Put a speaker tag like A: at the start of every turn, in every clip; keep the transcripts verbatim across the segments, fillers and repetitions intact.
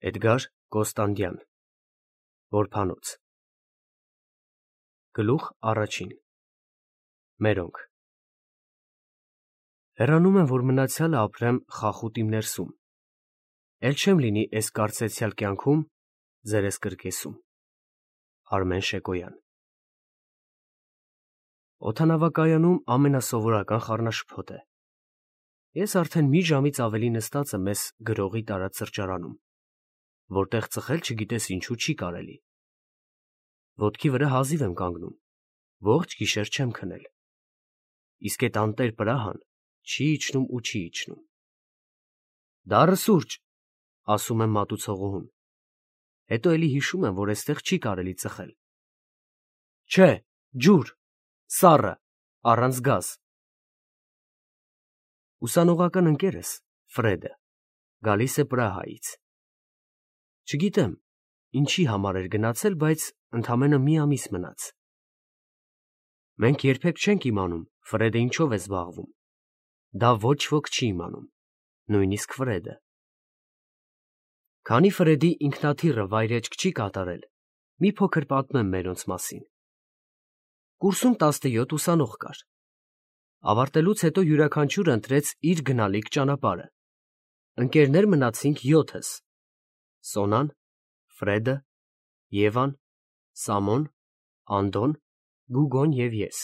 A: Էդգար Կոստանդյան Որբանոց Գլուխ առաջին Մերոնք Հեռանում եմ, որ մնացյալը ապրեմ խախուտ իմ ներսում, էլ չեմ լինի էս կարծեցյալ կյանքում ձերես կրկեսում։ Արմեն Շեկոյան Օդանավակայանում ամենասովորական խառնաշփոթ է։ Ես արդեն մի ժամից ավելի նստած եմ էս գրողի տարած սրճարանում, որտեղ ծխել չգիտես ինչու չի կարելի։ Ոտքի վրա հազիվ եմ կանգնում, ողջ գիշեր չեմ քնել։ Իսկ էդ անտեր պրահան չի իջնում ու չի իջնում։ Դառը սուրճ, ասում եմ մատուցողուհուն։ Հետո էլի հիշում եմ, որ էստեղ չի կարելի ծխել։ Չէ, ջուր, սառը, առանց գազ։ Ուսանողական ընկերս, Ֆրեդը, գալիս է Պրահայից։ Չգիտեմ, ինչի համար էր գնացել, բայց ընդամենը մի ամիս մնաց։ Մենք երբեք չենք իմանում Ֆրեդը ինչով է զբաղվում։ Դա ոչ ոք չի իմանում, նույնիսկ Ֆրեդը։ Քանի Ֆրեդի ինքնաթիռը վայրեջք չի կատարել, մի փոքր պատմեմ մերոնց մասին։ Կուրսում տասնյոթ ուսանող կար։ Ավարտելուց հետո յուրաքանչյուրը ընտրեց իր գնալիք ճանապարհը։ Ընկերներ մնացինք յոթս. Սոնան, Ֆրեդը, Եվան, Սամոն, Անդոն, Գուգոն և ես։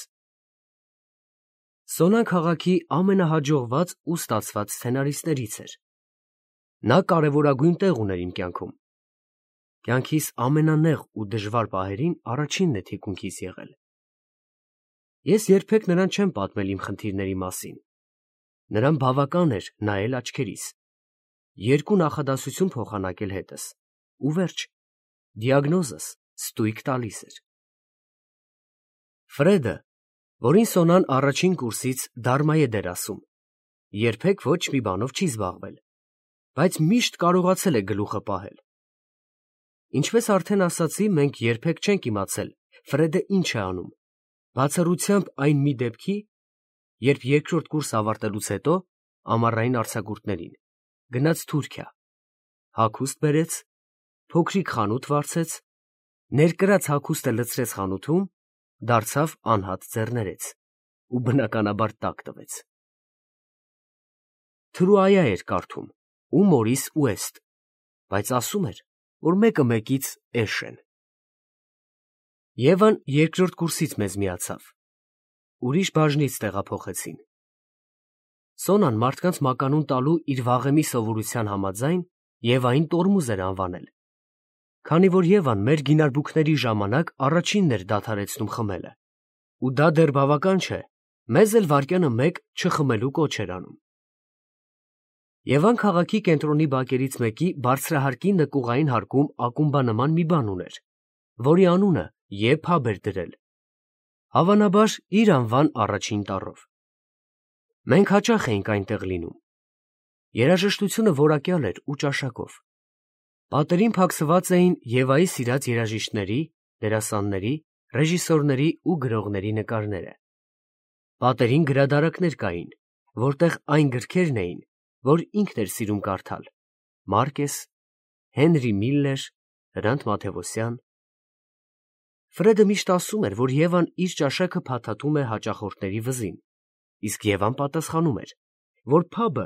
A: Սոնան քաղաքի ամենահաջողված ու ստացված սցենարիստներից էր։ Նա կարևորագույն տեղ ուներ իմ կյանքում։ Կյանքիս ամենանեղ ու դժվար պահերին առաջինն է թիկունքիս եղել։ Ես երբեք նրան չեմ պատմել իմ խնդիրների մասին։ Նրան բավական էր նայել աչքերիս, երկու նախադասություն փոխանակել հետս, ու վերջ, դիագնոզս ստույգ տալիս էր։ Ֆրեդը, որին Սոնան առաջին կուրսից դարմայե դեր ասում, երբեք ոչ մի բանով չի զբաղվել, բայց միշտ կարողացել է գլուխը պահել։ Ինչպես արդեն ասացի, մենք երբեք չենք իմացել Ֆրեդը ինչ է անում, բացառությամբ այն մի դեպքի, երբ երկրորդ կուրս ավարտելուց հետո, ամառային արձակուրդներին, գնաց Թուրքիա, հագուստ բերեց, փոքրիկ խանութ վարձեց, ներկրած հագուստը լցրեց խանութում, դարձավ անհատ ձեռներեց ու բնականաբար տակ տվեց։ Թրուայա էր կարդում ու Մորիս Ուեստ, բայց ասում էր, որ մեկը մեկից էշ են։ Եվան երկրորդ կուրսից մեզ միացավ։ Ուրիշ բաժնից տեղափոխեցին։ Սոնան մարդկանց մականուն տալու իր վաղեմի սովորության համաձայն Եվային տորմուզ էր անվանել, քանի որ Եվան մեր գինարբուքների ժամանակ առաջինն էր դադարեցնում խմելը, ու դա դեռ բավական չէ, մեզ էլ վայրկյանը մեկ չխմելու կոչ էր անում։ Եվան քաղաքի կենտրոնի բակերից մեկի բարձրահարկի նկուղային հարկում ակումբանման մի բան ուներ, որի անունը Ե փաբ էր դրել, հավանաբար իր անվան առաջին տառով։ Մենք հաճախ էինք այնտեղ լինում։ Երաժշտությունը որակյալ էր ու ճաշակով։ Պատերին փակսված էին Եվայի սիրած երաժիշտների, դերասանների, ռեժիսորների ու գրողների նկարները։ Պատերին գրադարաններ կային, որտեղ այն գրքերն էին, որ ինքն էր սիրում կարդալ. Մարկես, Հենրի Միլլեր, Հրանտ Մաթևոսյան։ Ֆրեդը միշտ ասում էր, որ Եվան իր ճաշակը փաթաթում է հաճախորդների վզին, իսկ Եվան պատասխանում էր, որ փաբը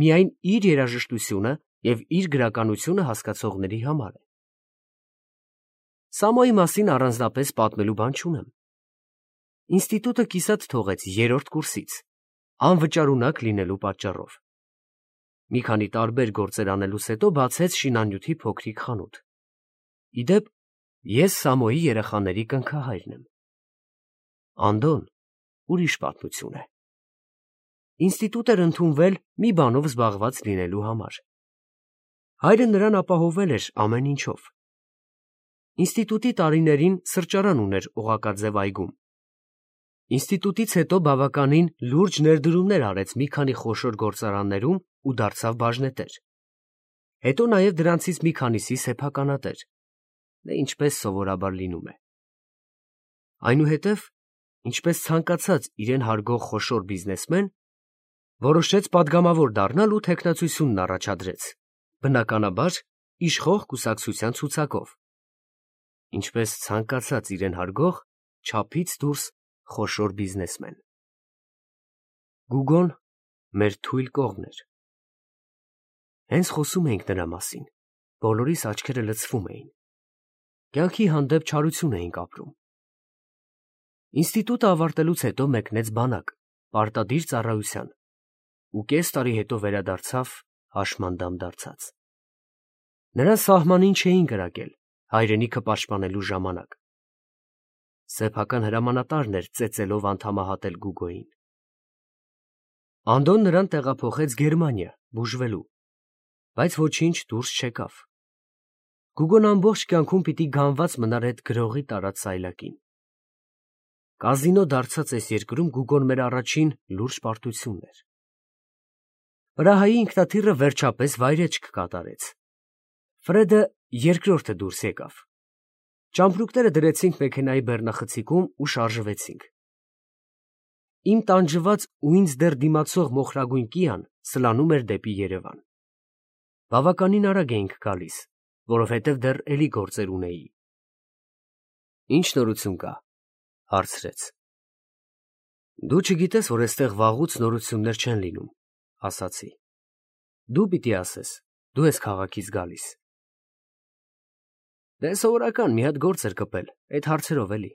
A: միայն իր երաժշտությունը և իր գրականությունը հասկացողների համար է։ Սամոյի մասին առանձնապես պատմելու բան չունեմ։ Ինստիտուտը կիսատ թողեց երրորդ կուրսից, անվճարունակ լինելու պատճառով։ Մի քանի տարբեր գործեր անելուց հետո բացեց շինանյութի փոքրիկ խանութ։ Ի դեպ, ես Սամոյի երեխաների կնքահայրն եմ։ Անդոն ուրիշ պատմություն է։ Ինստիտուտ էր ընդունվել մի բանով զբաղված լինելու համար։ Հայրը նրան ապահովել էր ամեն ինչով։ Ինստիտուտի տարիներին սրճարան ուներ Օղակաձև այգում։ Ինստիտուտից հետո բավականին լուրջ ներդրումներ արեց մի քանի խոշոր գործարաններում ու դարձավ բաժնետեր։ Հետո նաև դրանցից մի քանիսի սեփականատեր, դե ինչպես սովորաբար լինում է։ Այնուհետև, ինչպես ցանկացած իրեն հարգող խոշոր բիզնեսմեն, որոշեց պատգամավոր դառնալ ու թեկնածությունն առաջադրեց, բնականաբար, իշխող կուսակցության ցուցակով, ինչպես ցանկացած իրեն հարգող չափից դուրս խոշոր բիզնեսմեն։ Գուգոն մեր թույլ կողմն էր։ Հենց խոսում էինք նրա մասին, բոլորիս աչքերը լցվում էին։ Կյանքի հանդեպ չարություն էինք ապրում։ Ինստիտուտը ավարտելուց հետո մեկնեց բանակ, պարտադիր ծառայության, ու կես տարի հետո վերադարձավ հաշմանդամ դարձած։ Նրան սահմանին չէին կրակել հայրենիքը պաշտպանելու ժամանակ։ Սեփական հրամանատարն էր ծեծելով անդամահատել Գուգոյին։ Անդոն նրան տեղափոխեց Գերմանիա բուժվելու, բայց ոչինչ դուրս չեկավ։ Գուգոն ամբողջ կյանքում պիտի գանված մնար այդ գրողի տարած սայլակին։ Կազինո դարձած այս երկրում Գուգոն մեր առաջին լուրջ պարտությունն էր։ Պրահայի ինքնաթիռը վերջապես վայրեջք կատարեց։ Ֆրեդը երկրորդը դուրս եկավ։ Ճամպրուկները դրեցինք մեքենայի բեռնախցիկում ու շարժվեցինք։ Իմ տանջված ու ինձ դեռ դիմացող մոխրագույն կիան սլանում էր դեպի Երևան։ Բավականին արագ էինք գալիս, որովհետև դեռ էլի գործեր ունեի։ Ինչ նորություն կա, հարցրեց։ Դու չգիտես, որ այստեղ վաղուց նորություններ չեն լինում, ասացի։ Դու պիտի ասես, դու ես քաղաքից գալիս։ Դե սովորական մի հատ գործ էր կպել, այդ հարցերով էլի։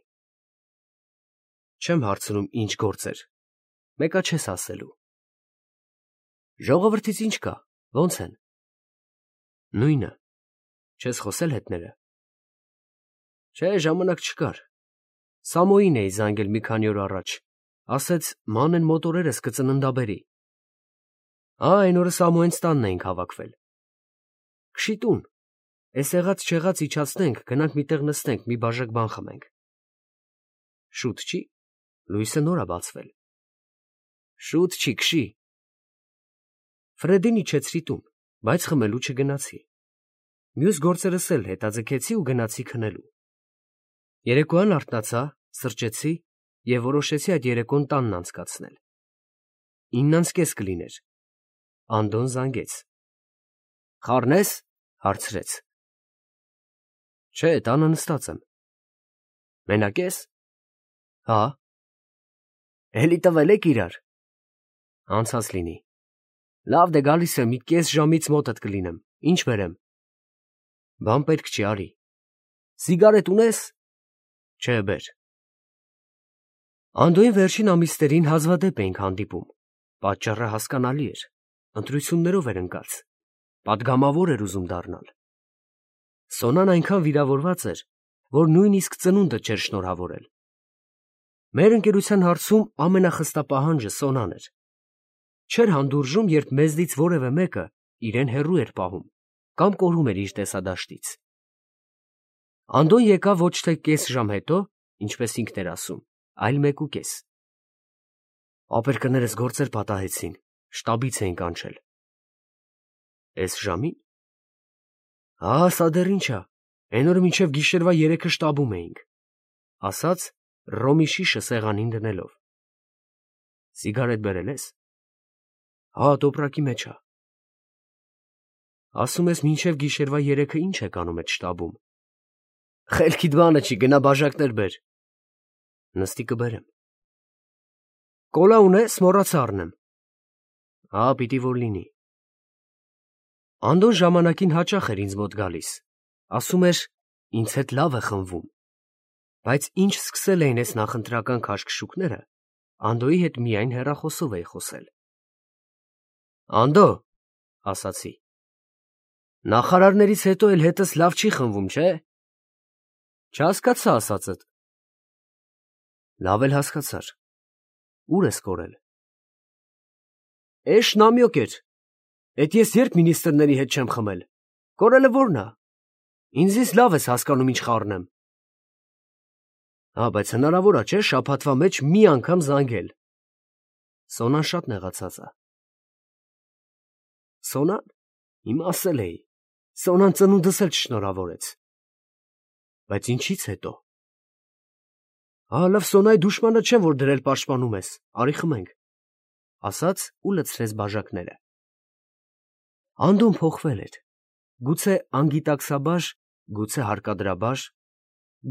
A: Չեմ հարցնում ինչ գործեր, մեկա չես ասելու։ Ժողովրդից ինչ կա, ո՞նց են։ Նույնը, չես խոսել հետները։ Չէ, ժամանակ չկար։ Սամոյին էի զանգել մի քանի օր առաջ, ասեց մանեն մոտորերս կծննդաբերի։ Ա, այն օրը Սամոյենց տանն էինք հավաքվել։ Քշի տուն, էս եղած չեղած իջացնենք, գնանք միտեղ նստենք, մի բաժակ բան խմենք։ Շուտ չի, լույսը նոր ա բացվել։ Շուտ չի, քշի։ Ֆրեդին իջեցրի տուն, բայց խմելու չգնացի։ Մյուս գործերս էլ հետաձգեցի ու գնացի քնելու։ Երեկոյան արթնացա, սրճեցի և որոշեցի այդ երեկոն տանն անցկացնել։ Իննանց կես կլիներ։ Անդոն զանգեց։ Խառնես, հարցրեց։ Չէ, տանը նստած եմ։ Մենակ ես։ Հա։ Էլի տվել եք իրար։ Անցած լինի։ Լավ դե գալիս եմ, մի կես ժամից մոտդ կլինեմ, ինչ բերեմ։ Բան պետք չի, արի։ Սիգարետ ունես։ Չէ, բեր։ Անդոյին վերջին ամիսներին հազվադեպ էինք հանդիպում։ Պատճառը հասկանալի էր։ Ընտրություններով էր ընկած։ Պատգամավոր էր ուզում դառնալ։ Սոնան այնքան վիրավորված էր, որ նույնիսկ ծնունդը չէր շնորհավորել։ Մեր ընկերության հարցում ամենախստապահանջը Սոնան էր։ Չէր հանդուրժում, երբ մեզնից որևէ մեկը իրեն հեռու էր պահում կամ կորում էր իր տեսադաշտից։ Անդոն եկավ ոչ թե կես ժամ հետո, ինչպես ինքն էր ասում, այլ մեկուկես։ Ապերկներս գործեր պատահեցին, շտաբից էին կանչել։ Էս ժամին։ Հա, սա դեռ ինչ ա, այն օրը մինչև գիշերվա երեքը շտաբում էինք, ասաց ռոմի շիշը սեղանին դնելով։ Սիգարետ բերել ես։ Հա, տոպրակի մեջ ա։ Ասում ես մինչև գիշերվա երեքը ինչ եք անում այդ շտաբում։ Խելքիդ բանը չի, գնա բաժակներ բեր։ Նստի կբերեմ։ Կոլա ունես, մոռացա առնեմ։ Հա, պիտի որ լինի։ Անդոն ժամանակին հաճախ էր ինձ մոտ գալիս, ասում էր, ինձ հետ լավ է խմվում, բայց ինչ սկսել էին այս նախընտրական քաշքշուկները, Անդոյի հետ միայն հեռախոսով էի խոսել։ Անդո, ասացի, նախարարներից հետո էլ հետս լավ չի խմվում, չէ։ Չհասկացա ասածդ։ Լավ էլ հասկացար։ Ուր ես կորել։ Էշ նամյոկ էր։ Էդ ես երբ մինիստրների հետ չեմ խմել։ Կորելը որն ա։ Ինձից լավ ես հասկանում ինչ խառնեմ։ Հա, բայց հնարավոր ա, չէ, շաբաթվա մեջ մի անգամ զանգել։ Սոնան շատ նեղացած ա։ Սոնան, իմ ասել էի, Սոնան ծնունդս էլ չշնորհավորեց։ Բայց ինչից հետո։ Հա, լավ, Սոնայի դուշմանը չեմ, որ դրել պաշտպանում ես, արի խմենք, ասաց ու լցրեց բաժակները։ Անդոն փոխվել էր։ գուցե անգիտակցաբար, գուցե հարկադրաբար,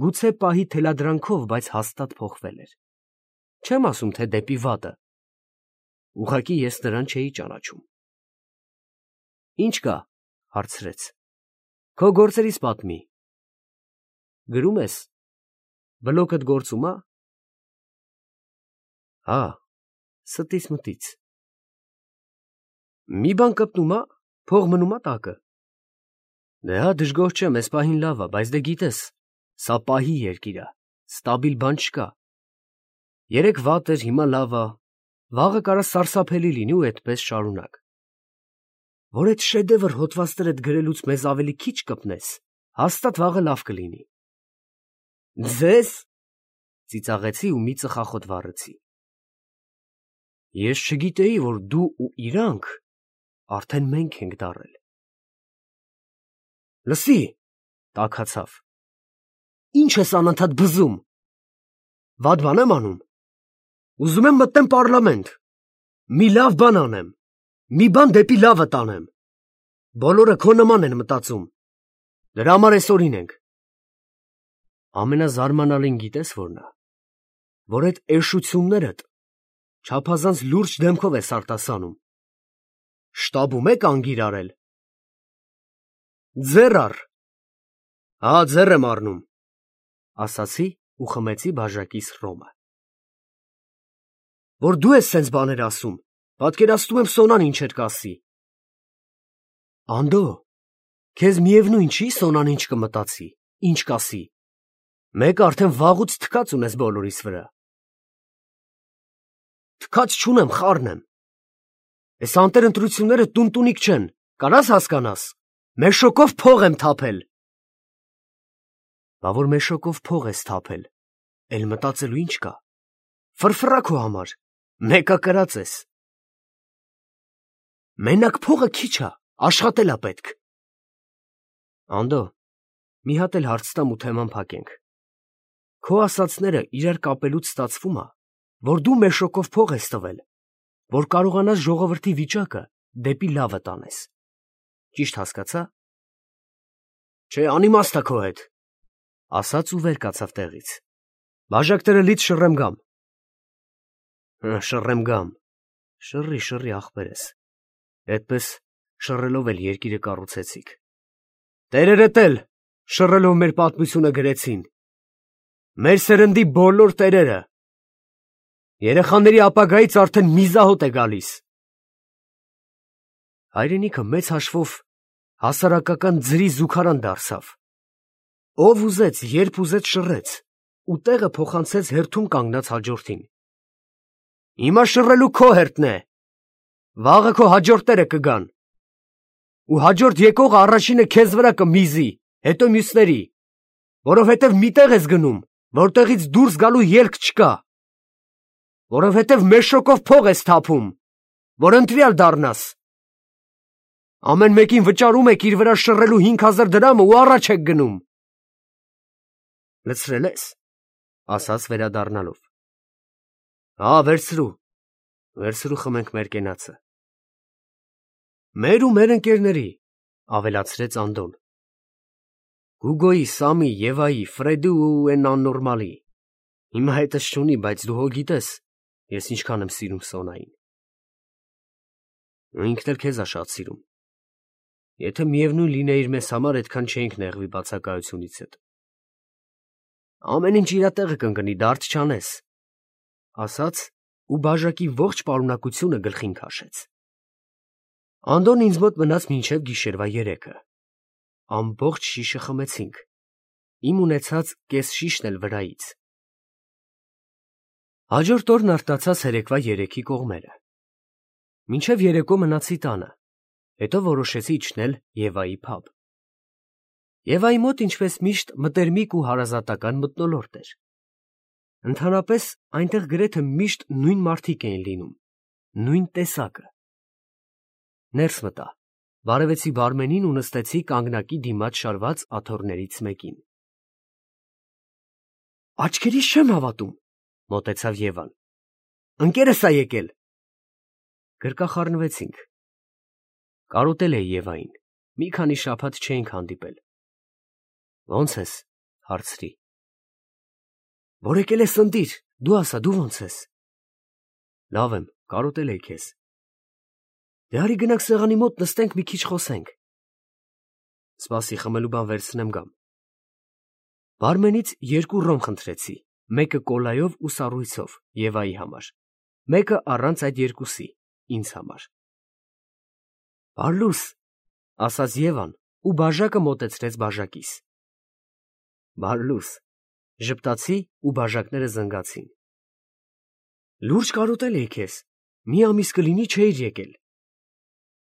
A: գուցե պահի թելադրանքով, բայց հաստատ փոխվել էր։ Չեմ ասում, թե դեպի վատը։ Ուղղակի ես նրան չէի ճանաչում։ Ինչ կա, հարցրեց։ Քո գործերից պատմի։ Գրում ես։ Բլոկդ գործում ա։ Հա, ստից մտից։ Մի բան կպտում ա, փող մնում ա տակը։ Դե հա, դժգոհ չեմ, էս պահին լավ ա, բայց դե գիտես, սա պահի երկիր ա, ստաբիլ բան չկա։ Երեկ վատ էր, հիմա լավ ա, վաղը կարա սարսափելի լինի ու այդպես շարունակ։ Որ այդ շեդևր հոդվածներդ գրելուց մեզ ավելի քիչ կպնես, հաստատ վաղը լավ կլինի։ Ձեզ, ծիծաղեցի ու մի ծխախոտ վառեցի։ Ես չգիտեի, որ դու ու իրանք արդեն մենք ենք դառել։ Լսի, տաքացավ։ Ինչ ես անընդհատ բզում։ Վատ բան եմ անում։ Ուզում եմ մտնեմ պարլամենտ։ Մի լավ բան անեմ։ Մի բան դեպի լավը տանեմ։ Բոլորը քո նման են մտածում։ Դրա համար այսօրին ենք։ Ամենազարմանալին գիտես որն է, որ այդ էշություններդ չափազանց լուրջ դեմքով ես արտասանում։ Շտաբում եք անգիր արել։ Ձեռ առ։ Հա, ձեռ եմ առնում, ասացի ու խմեցի բաժակիս ռոմը։ Որ դու ես սենց բաներ ասում, պատկերացնում եմ Սոնան ինչ էր կասի։ Անդո, քեզ միևնույն չի Սոնան ինչ կմտածի, ինչ կասի։ Մեկ արդեն վաղուց թքած ունես բոլորիս վրա։ Թքած չունեմ, խառն եմ։ Այս անտեր ընտրությունները տունտունիկ չեն, կարաս հասկանաս։ Մեշոկով փող եմ թափել։ Բա որ մեշոկով փող ես թափել, էլ մտածելու ինչ կա։ Ֆրֆրա քո համար, մեկա կրած ես։ Մենակ փողը քիչ ա, աշխատել ա պետք։ Անդո, մի հատ էլ հարց տամ ու թեման փակենք։ Քո ասածները իրար կապելուց ստացվում ա, որ դու մեշոկով փող ես տվել, որ կարողանաս ժողովրդի վիճակը դեպի լավը տանես։ Ճիշտ հասկացա։ Չէ, անիմաստ ա քո հետ, ասաց ու վեր կացավ տեղից։ Բաժակները լից շռեմ գամ։ Շռեմ գամ։ Շռի, շռի ախպերես։ Այդպես շռելով էլ երկիրը կառուցեցիք։ Տերերդ էլ շռելով մեր պատմությունը գրեցին։ Մեր սերնդի բոլոր տերերը։ Երեխաների ապագայից արդեն միզահոտ է գալիս։ Հայրենիքը մեծ հաշվով հասարակական ձրի զուգարան դարձավ։ Ով ուզեց, երբ ուզեց շռեց, ու տեղը փոխանցեց հերթում կանգնած հաջորդին։ Հիմա շռելու քո հերթն է։ Վաղը քո հաջորդները կգան։ Ու հաջորդ եկողը առաջինը քեզ վրա կմիզի, հետո մյուսների, որովհետև միտեղ ես գնում, որտեղից դուրս գալու ելք չկա, որովհետև մեշոկով փող ես թափում, որ ընտրյալ դառնաս։ Ամեն մեկին վճարում եք իր վրա շռելու հինգ հազար դրամը ու առաջ եք գնում։ Լցրել ես, ասաց վերադառնալով։ Հա, վերցրու, վերցրու խմենք մեր կենացը։ Մեր ու մեր ընկերների, ավելացրեց Անդոն։ Հուգոյի, Սամի, Եվայի, Ֆրեդի ու են աննորմալի։ Հիմա հետս չունի, բայց դու հո գիտես, ես ինչքան եմ սիրում Սոնային։ Ինքն էլ քեզ ա շատ սիրում։ Եթե միևնույն լինեիր մեզ համար, այդքան չէինք նեղվի բացակայությունից հետ։ Ամեն ինչ իր տեղը կընկնի, դարդ չանես, ասաց ու բաժակի ողջ պարունակությունը գլխին քաշեց։ Անդոն ինձ մոտ մնաց մինչև գիշերվա երեքը։ Ամբողջ շիշը խմեցինք, իմ ունեցած կես շիշն էլ վրայից։ Հաջորդ օրն արտացած երեկվա երեքի կողմերը։ Մինչև երեկո մնացի տանը, հետո որոշեցի իջնել Եվայի փաբ։ Եվայի մոտ ինչպես միշտ մտերմիկ ու հարազատական մթնոլորտ էր։ Ընդհանրապես այնտեղ գրեթե միշտ նույն մարդիկ էին լինում, նույն տեսակը։ Ներս մտա, բարևեցի բարմենին ու նստեցի կանգնակի դիմաց շարված աթոռներից մեկին։ Աչքերիս չեմ հավատում, մոտեցավ Եվան։ Ընկերս ա եկել։ Գրկախառնվեցինք։ Կարոտել էի Եվային, մի քանի շաբաթ չէինք հանդիպել։ Ո՞նց ես, հարցրի։ Որ եկել ես ընտիր, դու ասա, դու ո՞նց ես։ Լավ եմ, կարոտել էի քեզ։ Դե արի գնանք սեղանի մոտ նստենք մի քիչ խոսենք։ Սպասի, խմելու բան վերցնեմ գամ։ Բարմենից երկու ռոմ խնդրեցի, մեկը կոլայով ու սառույցով Եվայի համար, մեկը առանց այդ երկուսի, ինձ համար։ Բարլուս, ասաց Եվան ու բաժակը մոտեցրեց բաժակիս։ Բարլուս, ժպտացի ու բաժակները զնգացին։ Լուրջ կարոտել էի քեզ, մի ամիս կլինի չէիր եկել։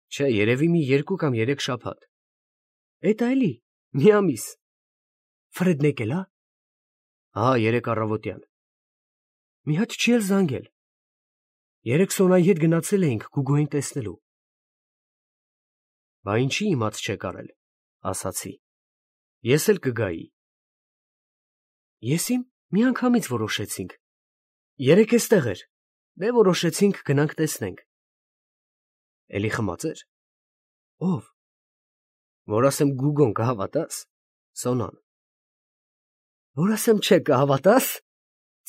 A: Չէ, երևի մի երկու կամ երեք շաբաթ։ Էդ այլի, մի ամիս։ Ֆրեդն եկել ա։ Հա, երեք առավոտյան։ Մի հատ չի էլ զանգել։ Երեք Սոնայի հետ գնացել էինք Գուգոյին տեսնելու։ Բա ինչի իմաց չեք արել, ասացի։ Ես էլ կգայի։ Ես իմ միանգամից որոշեցինք։ Երեք էստեղ էր, դե որոշեցինք գնանք տեսնենք։ Էլի խմած էր։ Ով։ Որ ասեմ Գուգոն կհավատաս, Սոնան։ Որ ասեմ չէ կհավատաս,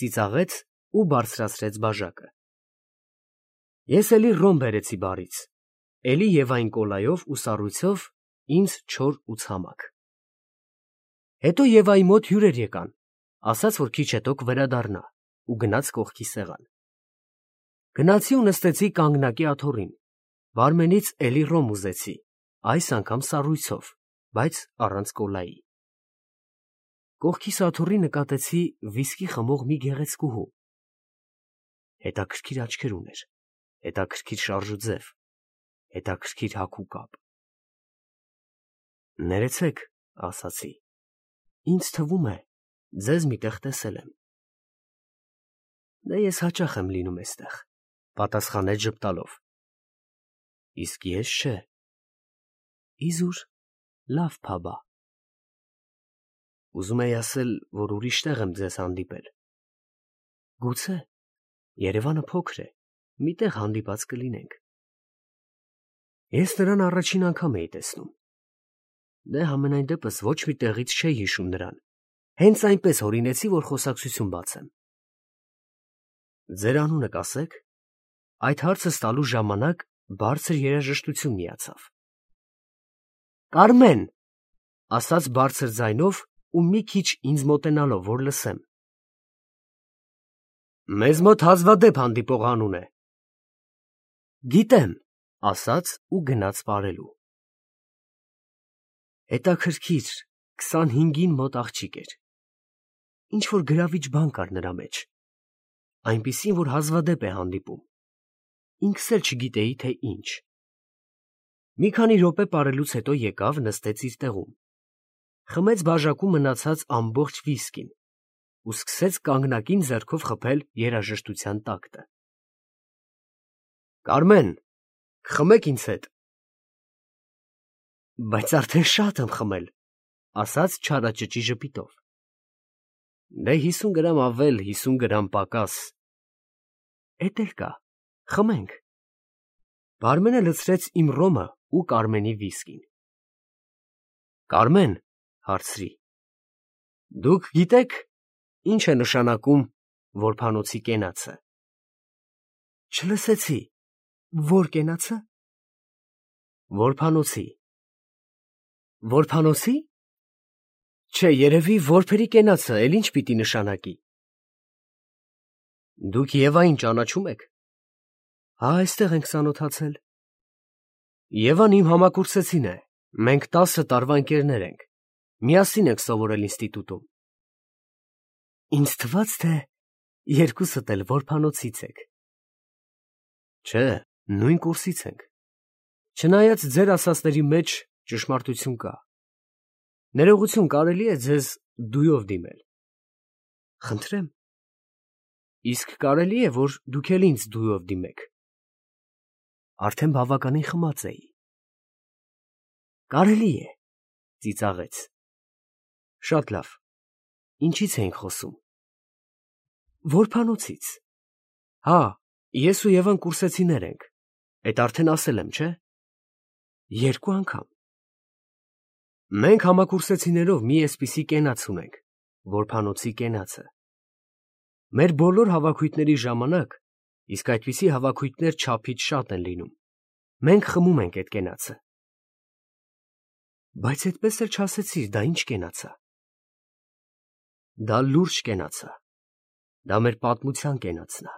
A: ծիծաղեց ու բարձրացրեց բաժակը։ Ես էլի ռոմ բերեցի բարից, էլի Եվային կոլայով ու սառույցով, ինձ չոր ու ցամաք։ Հետո Եվայի մոտ հյուրեր եկան, ասաց, որ քիչ հետո կվերադառնա ու գնաց կողքի սեղան։ Գնացի ու նստեցի կանգնակի աթոռին, բարմենից էլի ռոմ ուզեցի, այս անգամ սառույցով, բայց առանց կոլայի։ Կողքիս աթոռի նկատեցի վիսկի խմող մի գեղեցկուհու։ Հետաքրքիր աչքեր ուներ, հետաքրքիր շարժուձև, հետաքրքիր հագ ու կապ։ Ներեցեք, ասացի, ինձ թվում է, ձեզ միտեղ տեսել եմ։ Դե ես հաճախ եմ լինում էստեղ, պատասխանեց ժպտալով։ Իսկ ես չէ։ Իզուր, լավ փաբա։ Ուզում էի ասել, որ ուրիշ տեղ եմ ձեզ հանդիպել։ Գուցե, Երևանը փոքր է, մի տեղ հանդիպած կլինենք։ Ես նրան առաջին անգամ էի տեսնում։ Դե համենայն դեպս ոչ մի տեղից չէի հիշում նրան, հենց այնպես հորինեցի, որ խոսակցություն բացեմ։ Ձեր անունը կասեք։ Այդ հարցը ստալու ժամանակ բարձր երաժշտություն միացավ։ Կարմեն, ասաց բարձր ձայնով ու մի քիչ ինձ մոտենալով, որ լսեմ։ Մեզ մոտ հազվադեպ հանդիպող անուն է։ Գիտեմ, ասաց ու գնաց պարելու։ Հետաքրքիր, քսանհինգին մոտ աղջիկ էր։ Ինչ որ գրավիչ բան կար նրա մեջ, այնպիսին, որ հազվադեպ է հանդիպում։ Ինքս էլ չգիտեի, թե ինչ։ Մի քանի րոպե պարելուց հետո եկավ, նստեց իր տեղում, խմեց բաժակում մնացած ամբողջ վիսկին ու սկսեց կանգնակին ձեռքով խփել երաժշտության տակտը։ Կարմեն, կխմեք ինձ հետ։ Բայց արդեն շատ եմ խմել, ասաց չարաճճի ժպիտով։ Դե հիսուն գրամ ավել, հիսուն գրամ պակաս։ Էդ էլ կա, խմենք։ Բարմենը լցրեց իմ ռոմը ու Կարմենի վիսկին։ Կարմեն, հարցրի, դուք գիտեք, ինչ է նշանակում որբանոցի կենացը։ Չլսեցի, որ կենացը։ Որբանոցի։ Որբանոցի։ Չէ, երևի որբերի կենացը էլ ինչ պիտի նշանակի։ Դուք Եվային ճանաչում եք։ Հա, այստեղ ենք ծանոթացել։ Եվան իմ համակուրսեցին է, մենք տասը տարվա ընկերներ ենք, միասին ենք սովորել ինստիտուտում։ Ինձ թվաց, թե երկուսդ էլ որբանոցից եք։ Չէ, նույն կուրսից ենք։ Չնայած ձեր ասածների մեջ ճշմարտություն կա։ Ներողություն, կարելի է ձեզ դույով դիմել։ Խնդրեմ։ Իսկ կարելի է, որ դուք էլ ինձ դույով դիմեք։ Արդեն բավականին խմած էի։ Կարելի է, ծիծաղեց։ Շատ լավ։ Ինչից էինք խոսում։ Որբանոցից։ Հա, ես ու Եվան կուրսեցիներ ենք։ Էդ արդեն ասել եմ, չէ։ Երկու անգամ։ Մենք համակուրսեցիներով մի էսպիսի կենաց ունենք, որբանոցի կենացը։ Մեր բոլոր հավաքույթների ժամանակ, իսկ այդպիսի հավաքույթներ չափից շատ են լինում, մենք խմում ենք այդ կենացը։ Բայց այդպես էլ չասեցիր, դա ինչ կենաց է։ Դա լուրջ կենաց է։ Դա մեր պատմության կենացն է,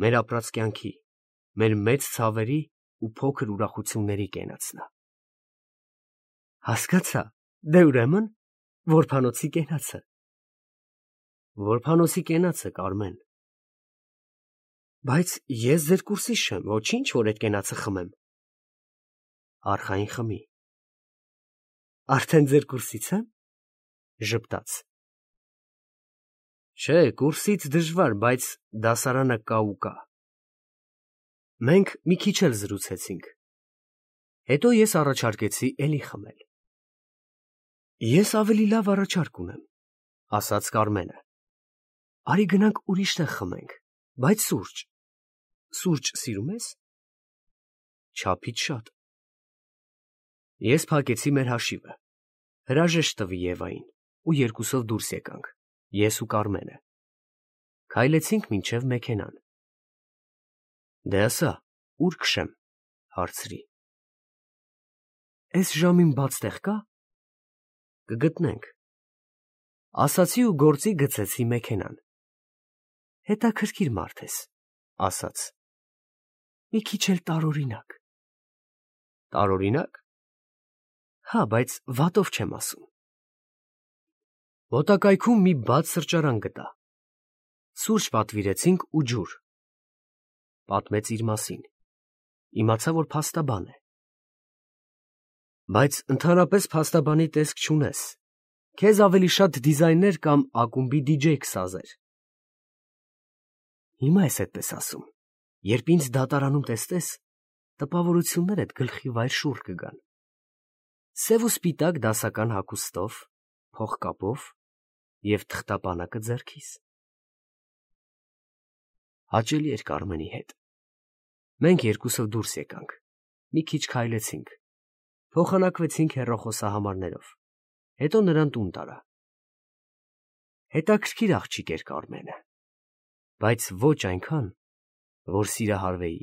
A: մեր ապրած կյանքի, մեր մեծ ցավերի ու փոքր ուրախությունների կենացն է։ Հասկացա, դե ուրեմն որբանոցի կենացը։ Որբանոցի կենացը, Կարմեն։ Բայց ես ձեր կուրսից չեմ, ոչինչ, որ այդ կենացը խմեմ։ Արխային խմի։ Արդեն ձեր կուրսից եմ։ Ժպտաց։ Չէ, կուրսից դժվար, բայց դասարանը կա ու կա։ Մենք մի քիչ էլ զրուցեցինք։ Հետո ես առաջարկեցի էլի խմել։ Ես ավելի լավ առաջարկ ունեմ, ասաց Կարմենը։ Արի գնանք ուրիշ տեղ խմենք, բայց սուրճ։ Սուրճ սիրում ես։ Չափից շատ։ Ես փակեցի մեր հաշիվը, հրաժեշտ տվի Եվային ու երկուսով դուրս եկանք, ես ու Կարմենը։ Քայլեցինք մինչև մեքենան։ Դե ասա, ուր քշեմ, հարցրի։ Էս ժամին բաց տեղ կա։ Կգտնենք։ Ասացի ու գործի գցեցի մեքենան։ Հետաքրքիր մարդ ես, ասաց։ Մի քիչ էլ տարօրինակ։ Տարօրինակ։ Հա, բայց վատով չեմ ասում։ Մոտակայքում մի բաց սրճարան գտա։ Սուրճ պատվիրեցինք ու ջուր։ Պատմեց իր մասին։ Իմացա, որ փաստաբան է։ Բայց ընդհանրապես փաստաբանի տեսք չունես։ Քեզ ավելի շատ դիզայներ կամ ակումբի դիջեյ կսազեր։ Հիմա ես այդպես ասում։ Երբ ինձ դատարանում տեսնես, տպավորություններդ գլխի վայր շուռ կգան։ Սև ու սպիտակ դասական հագուստով, փողկապով և թղթապանակը ձեռքիս։ Հաճելի էր Կարմենի հետ։ Մենք երկուսով դուրս եկանք, մի քիչ քայլեցինք, փոխանակվեցինք հեռախոսահամարներով, հետո նրան տուն տարա։ Հետաքրքիր աղջիկ էր Կարմենը, բայց ոչ այնքան, որ սիրահարվեի։